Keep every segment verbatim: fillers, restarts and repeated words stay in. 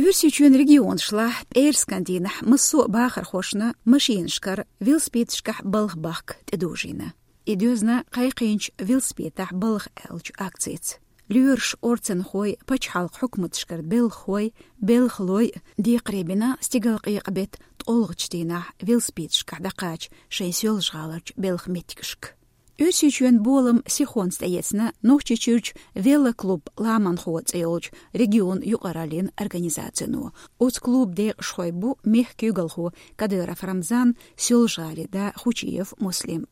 Оьрсийчоьнан регионашлахь пӀераскан дийнахь массо а бахархошна машинашкара велосипедашкахь балха бахка тӀедожийна. И доьзна кхайкхийначу «Велосипедехь балха» аьллачу акцица. Лоьраша, орцанхой, пачхьалкхан хьукматашкара белхахой, белхалой декхаре бина стигалкъекъа беттан ткъолгӀачу дийнахь велосипедашкахь дӀакхача шайн Соьлжа-ГӀаларчу белхан меттигашка. Оьрсийчоьнан болам сихонца тӀеэцна Нохчийчуьрчу «Велоклуб Ламанхо» цӀе йолчу регионан юкъараллин организацино. Оцу клубан декъашхой бу мехкан куьйгалхо Кадыров Рамзан, Соьлжа-ГӀалин да Хучиев Муслим.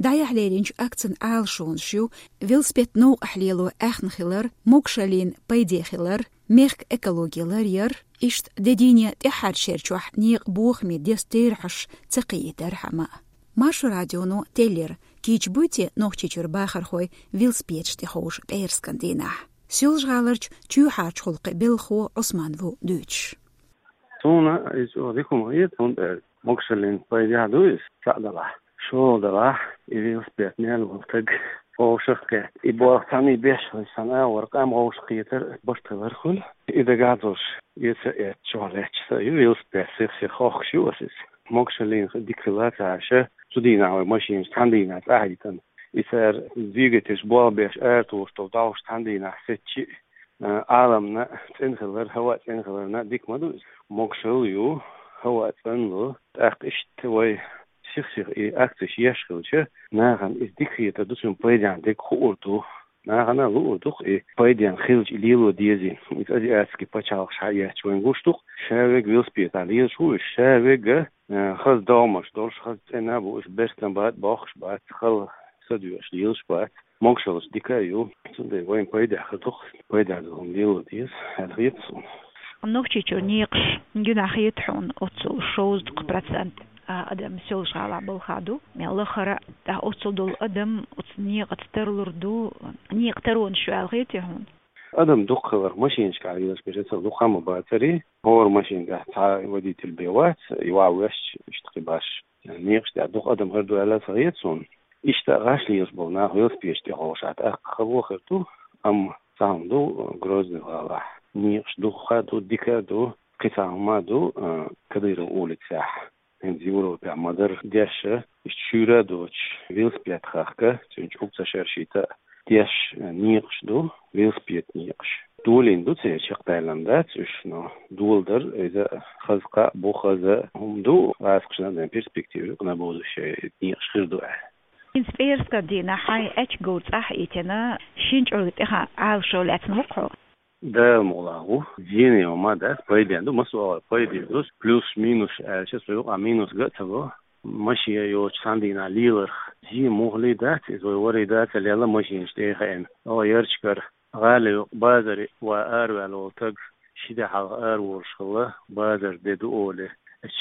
ДӀаяхьа леринчу акцин Ӏалашонаш ю велосипед новкъахь лело аьхна хилар, могашаллин пайде хилар, мехкан экологи ларъяр, иштта де дийне тӀаьххьарчу шерачохь некъан бохаме деза терахьаш ца кхиийтархьама. Маршо радионо теллира, кийча буй те Нохчийчуьра бахархой велосипедаш тӀе ховша пӀераскан дийнахь. Соьлжа-ГӀаларчу чоьхьарчу гӀуллакхийн белхахо Ӏусман ву дуьйцуш. Суна иза чӀогӀа дика хӀума хета, хӀунда аьлча могашаллин пайдехь ду иза, цхьаъ делахь. ШолгӀа делахь, и велосипед мел волу стаг вовшахкхетта. И болх цхьаьна беш хилча, цхьана агӀор къам вовшахкхетар барт хилар хуьлу. И дагахь долуш, эца а эцна, чохь лаьтташ са а ю, велосипед сих-сиха хохкуш ю аса иза. Могашаллина дика хила ца Ӏаш, цу дийнахь вай машинаш цхьана дийнахь цӀа хьаьдда. И цара двигательш болх беш аратухуш долу дӀовш цхьана дийнахь сецчи а, Ӏаламна цӀена хилар, хӀаваъ цӀена хиларна дика ма ду иза. Могашалла ю, хӀаваъ цӀанло, тӀаккха иштта вай сих-сиха и акцеш еш хилча, нахана иза дика хетар ду, цуьнан пайдехь дерг хуур ду. Нахана луур ду-кх и пайдехь хилча и лело дезий. Иза азиатский пачхьалкхаш схьаэцча вайна гуш ду-кх, ша верг велосипедехь лелаш ву уьш, ша верг, а, хаза догӀмаш долуш, хаза цӀена а бу уьш, берстам бац, бохкуш бац, хала са доьхуш лелаш бац. Могашаллаш дика а ю, цундела вайна пайдехь хир ду-кх, пайдехь долу хӀума лело деза, аьлла хета суна. Нохчийчуьра некъаш, гинахь хета хьуна, оццул шовзткъа процент а, адам Соьлжа-ГӀалахь балхахь ду. Мел лахара, тӀаккха оццул долу адам оцу некъаца тарлур ду, некъан таронаш ю аьлла хетий хьуна? Адам дукха хиларх, машинашкахь лелаш берш эцар дукха ма бацара, хӀора машина тӀехь цхьа водитель бен вац, и ваха везча, иштта кхин баш некъаш тӀехь дукха адам хир ду аьлла ца хета суна. Иштта гӀаш лелаш болу нах велосипедаш тӀе ховшахь, тӀаккха хало хир ду, амма цхьа хӀума ду, Грозный-гӀалахь некъаш дукха а ду, дика а ду, кхин цхьа хӀума а ду, а, Кадыров улицехь. ХӀинца Европехь ма-дарра деш а, иштта шуьйра а доцуш, велосипед хахка, цуьнан чӀуг ца шершийта а, деш а некъаш ду, велосипед некъаш. Долийна ду церан чекхдаьллина дац уьш, но доладар иза хаза кхаъ бу, хаза хӀума ду, гӀазкхашна а ден перспектива ю-кх на будущее, некъаш хир ду аьлла. ХӀинца пӀераскан дийнахь хьайн аьчка говр цӀахь а йитина, шина чӀорга тӀехь Ӏалашо лаьцна ву-кх хьо? Дала мукъ лахь ву, зене ма дац, пайденна ду, массо а агӀор пайде ду, плюс-минус аьлча, со юкъахь минус ган а ца го. Машен йоцуш цхьана дийнахь леларх, зен муххале дац, иза вай варий дац а лелла машинаш тӀе а хаийна. О, ярчкара, гӀала юкъа базаре ван араваьлла волу стаг, ши де хьалха араволуш хилла, базар де ду олий,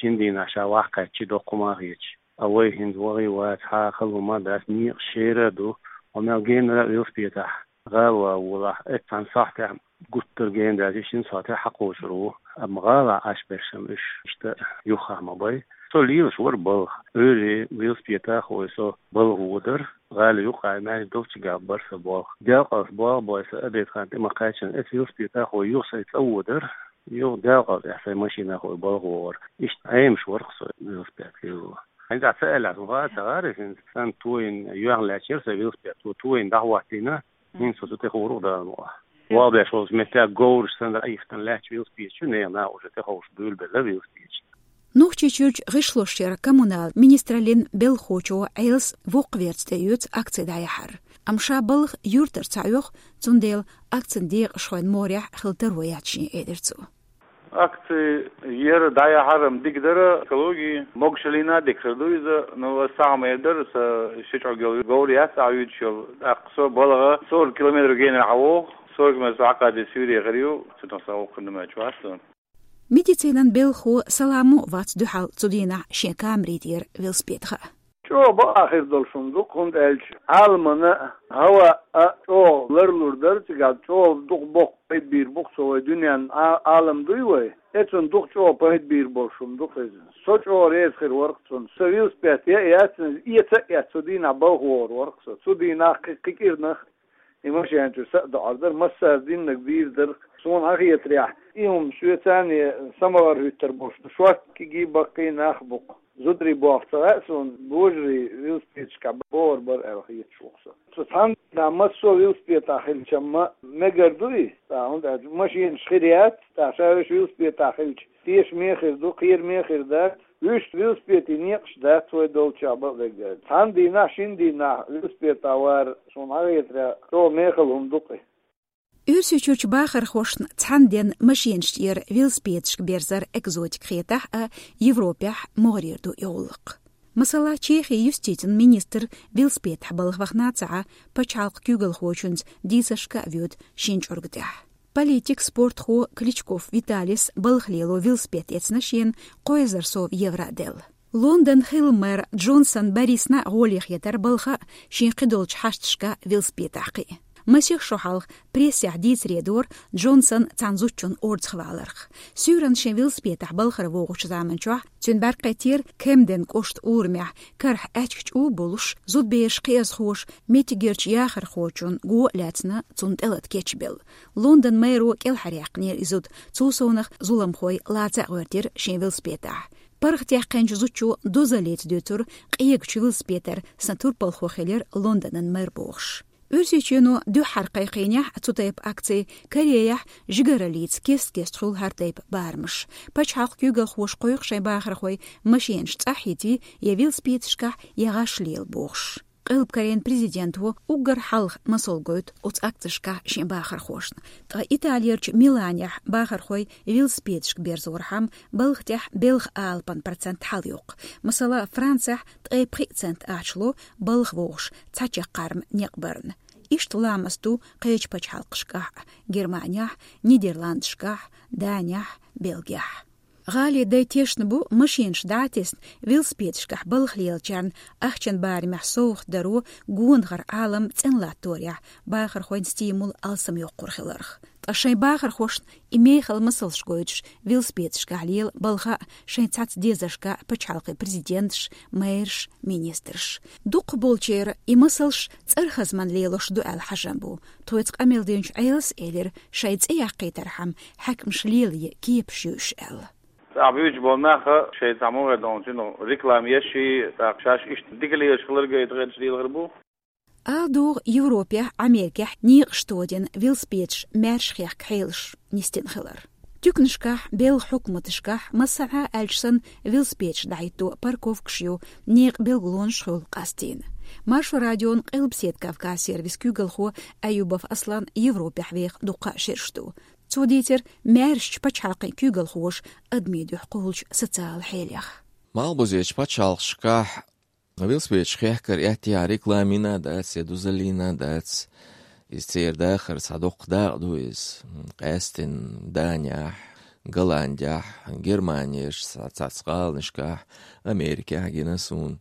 шина дийнахь ша ваха кхаьччи доккха хӀума а хеташ. А вай хӀинца вахий вац, хьан хала хӀума а дац, некъаш шера а ду, хьо мел генара а велосипедехь гӀала ван волахь, эццахь цхьана сахьтехь гуттар а гена даьлча, шина сахьтехь хьакхочур ву, амма гӀалахь Ӏаш берш-м уьш иштта юххехь ма бай. Со лелаш вара балха. Ӏуьйре велосипедехь вай со балха водар, гӀала юкъахь маьждиг долчча габ бара сан болх. Делкъалц болх бой сан обед хан тӀе ма кхаьччина, эцу велосипедехь вай юха сайн цӀа водар, юха делкъалцӀехь сайн машинехь вай балха вогӀар. Иштта Ӏемаш вара-кх со велосипед лело. ХӀинца ца аьллехь, сан хаа ца гӀара, хӀинца сан тойна юьхьна лаьтташ яра сан велосипед, цо тойна дӀахӀоттийна, хӀинца со цу тӀе хуур-кх, Дала мукъ лахь. Валбеш волчу меттехь говраш санна айхтан лаьтташ велосипедаш ю, нехан наха уже тӀе ховша буьйлабелла велосипедаш. Нохчийчуьрчу гӀишлошъяран, коммуналан министраллин белхахочо Ӏелас воккхаверца тӀеоьцу акци дӀаяхьар. Амма ша балха юьртара ца Ӏоьху, цундела акцин декъашхойн морехь хила таро яц шен, элира цо. Акци яра, дӀаяхьар-м дика дара, экологи, могашаллина а дика хир ду иза, но аса цхьа хӀума эр дара, сан ши чӀорга йолу говр яц ахь юьйцуш йолу, тӀаккха со балха сорок километр генара хьан вогӀу, сорок метр со хьакхаде суьйре хир ю, цу тӀехь сан воккха хӀума чу вац сан. Медицинан белхахо Саламо вац дуьхьал цу дийнахь шен камаре тӀера велосипедехь. ЧӀогӀа бакъахьа хир долуш хӀума ду-кх, хӀунда аьлча Ӏаламана а, хӀаваъ а чӀогӀа ларлур дара цигахь, чӀогӀа дукха боккха пайда бийр бу-кх цо вай дуьненна, Ӏа-, Ӏалам дуй вай, эцунна дукха чӀогӀа пайда бийр болуш хӀума ду-кх иза. Со чӀогӀа реза хир вара-кх цунна. Сан велосипед яа а яц, эца а эцна, цу дийнахь балха вогӀур вара-кх со. Цу дийнахь кхин, кхин кӀирнах И машен чуьра са а доӀар дара, массара диннарг бийр дара. Суна хьахетарехь, и хӀума Швейцарне самавар хӀуьттар болуш ду, шорта кегий баккхий нах бу-кх. Зударий боху ца хаьа суна, божарий велосипедашкахь богӀур бара аьлла хеташ ву-кх со. Цу цхьана дийнахь массо а велосипедехь хилча-м мегар ду и, тӀаккха, хӀунда аьлча машенаш хир яц, тӀаккха ша вешан велосипедехь хилча, тешаме хир ду, кхераме хир дац. Вуьшта велосипедийн некъаш дац вай долчохь бакъдерг аьлча. Цхьана дийнахь, шина дийнахь велосипедехь вар, суна хьахетарехь, чӀогӀа мехала хӀума ду-кх и. Оьрсийчуьрчу бахархошна цхьана денна машенаш тӀера велосипедашка берзар экзотика хетахь а, Европехь могӀарера ду и гӀуллакх. Масала, Чехин юстицин министр велосипедехь балха вахана а ца Ӏа, пачхьалкхан куьйгалхочуьнца дийцаршка а воьду шина чӀуьрга тӀехь. Политик, спортхо Кличков Виталис балха лело велосипед эцна шена кхо эзар сов евро а делла. Лондонан хилла мэр Джонсон Борисна а гӀоле хетара балха а, шен кхидолчу хьашташка велосипедехь кхиа. Масех шо хьалха прессехь дийцаре дора Джонсон цхьана зудчунна орцахваларх. Суьйранна шен велосипедехь балхара вогӀучу заманчохь цуьнан бӀаьрг кхийтира Кемден кӀоштан урамехь, карахь аьчка чӀу а болуш, зудабераш, кхиазхоша меттигерчу яхархочун го а лаьцна, цунна тӀелата кечбелла. Лондонан мэро кӀелхьаръяьккхинера и зуда, цул совнах зуламхой лаца а гӀоьртира шен велосипедехь. ПаргӀатъяьккхинчу зудчо дозаллица дуьйцура, къегачу велосипедера сан турпалхо хилира Лондонан мэр бохуш. Оьрсийчоьно дуьххьара кхайкхийнехь цу тайпа акций, Кореяхь жигараллица кест-кеста хуьлу хӀара тайпа барамаш. Пачхьалкхан куьйгалхоша кхойкху шайн бахархой машенаш цӀахь йитий я велосипедашкахь, я гӀаш лела бохуш. Къилба Корейн президенто уггар хьалха масал гойту оцу акцешкахь шен бахархошна. Ткъа Италерчу Миланехь бахархой велосипедашка берзорхьама, балха тӀехь белхан алапан процент хьалайоккху. Масала, Францехь ткъе пхиъ цент ахча ло балха вогӀуш цхьа чаккхарма некъ барна. Иштта ламаст ду кхечу пачхьалкхашкахь а: Германехь, Нидерландашкахь, Данехь, Бельгехь. ГӀалин дай тешна бу, машенаш дӀа а тесна, велосипедашкахь балха лелачарна ахчан барамехь совгӀат даро гонахара Ӏалам цӀена латторехь бахархойн стимул алсамйоккхур хиларх. Ткъа шайн бахархошна и мехала масалш гойтуш, велосипедашкахь лела балха а шайн цхьацца дезаршка пачхьалкхийн президенташ, мэраш, министраш. Дукхахболчеран и масалш цӀархазманна лелош ду аьлла хьажам бу. Тхоьца къамел динчу Ӏелас элира, шайн цӀе яккхийтархьама хьаькамаш лелае кепаш ю уьш аьлла. ЦӀахь буьйцуш болу нах шайн цхьа мугӀар долчу реклама еш, тӀаккха шаьш иштта дика лелаш хилар гайта гӀерташ лелахар бу. Ала догӀу, Европехь, Америкехь некъаш тодина велосипедаш маьрша хехка хьелаш нисдина хилар. Туьканашкахь, белхан хьукматашкахь, массанхьа аьлча санна, велосипедаш дӀахӀитто парковкаш ю, некъан билгалонаш хуьлу къастийна. Маршо радион Къилбаседа Кавказ сервисан куьйгалхо Аюбов Аслан Европехь веха дуккха а шераш ду. Цо дийцира маьршачу пачхьалкхийн куьйгалхоша адамийн дуьхьа кхуллучу социалан хьелех. Малхбузерчу пачхьалкхашкахь велосипедаш хехкар аьттехьа рекламина а дац, я дозаллина а дац. Иза церан дахар цхьа доккха дакъа ду иза. Къаьстина Данехь, Голландехь, Германерчу цхьа-, цхьацца гӀаланашкахь, Америкехь гина суна.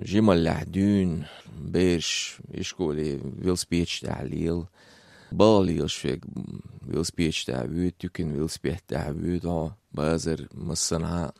Жималлехь дуьйна бераш ишколе велосипедаш тӀехь лела. Балха лелаш верг велосипедаш тӀехь воьду, туькана велосипед тӀехь воьду хьо, базар массанхьа.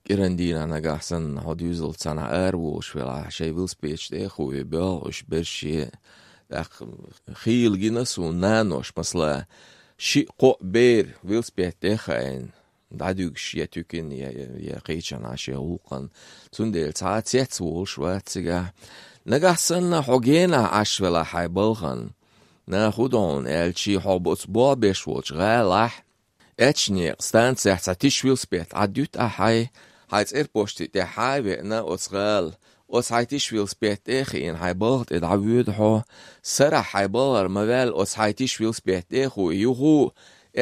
КӀиран дийнахь нагахь санна хьо доьзалца цхьаьна ара волуш велахь, шайн велосипедаш тӀе а хуий, боьлху уьш берше. ТӀаккха хийла гина суна нанош, масала, шиъ-кхоъ бер велосипед тӀе а хаийна, дӀадуьгуш я туькана, я, я, я кхечанхьа шен гӀуллакхана. Цундела цхьа а цец волуш вац цигахь. Нагахь санна хьо генахь Ӏаш велахь хьайн балхана, наха хӀун до хьуна аьлча, хьо оцу болх беш волчу гӀалахь, аьчнекъан станцехь цхьа тиша велосипед Ӏадуьту ахь хьайн, хьайн цӀерпошти тӀехь хьа а веана оцу гӀала, оцу хьайн тиша велосипед тӀе а хиъна, хьайн балха тӀе дӀавоьду хьо, сарахь хьайн балхара ма ваьлла, оцу хьайн тиша велосипед тӀе а хуий, юха а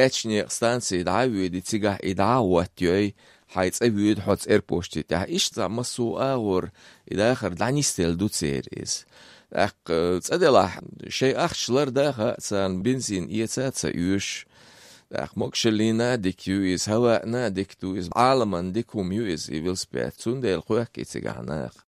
аьчнекъан станций дӀа а воьдий, цигахь и дӀа а хӀоттайой, хьайн цӀа воьду хьо цӀерпошти тӀехь. Иштта цхьа массо а агӀор и дахар дӀанисделла ду церан иза. ТӀаккха цӀа делахь, шайн ахча лардан а хаьа царна, бензин эца а ца оьшу. ТӀаккха могашаллина а дика ю иза, хӀаваъна а дика ду иза, Ӏаламна дика хӀума ю иза, и велосипед. Цундела кхоьхкий цигахь наха.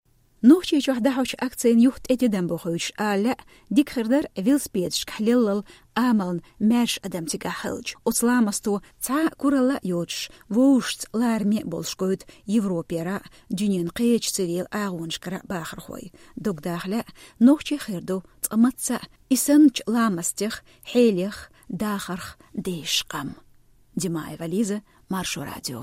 Нохчийчохь дӀахьочу акцийн юха тӀе тидам бохуьйтуш ала лаьа, дика хир дара велосипедашкахь леллал амална маьрша адам цигахь хилча. Оцу ламасто цхьа а куралла а йоцуш, вовшашца лараме а болуш гойту Европера а, дуьненан кхечу церан агӀонашкара а бахархой. Дог даха лаьа, нохчий хир ду цкъа мацца а и санначу ламастех, хьелех, дахарх дезаш къам. Димаева Лиза, Маршо радио.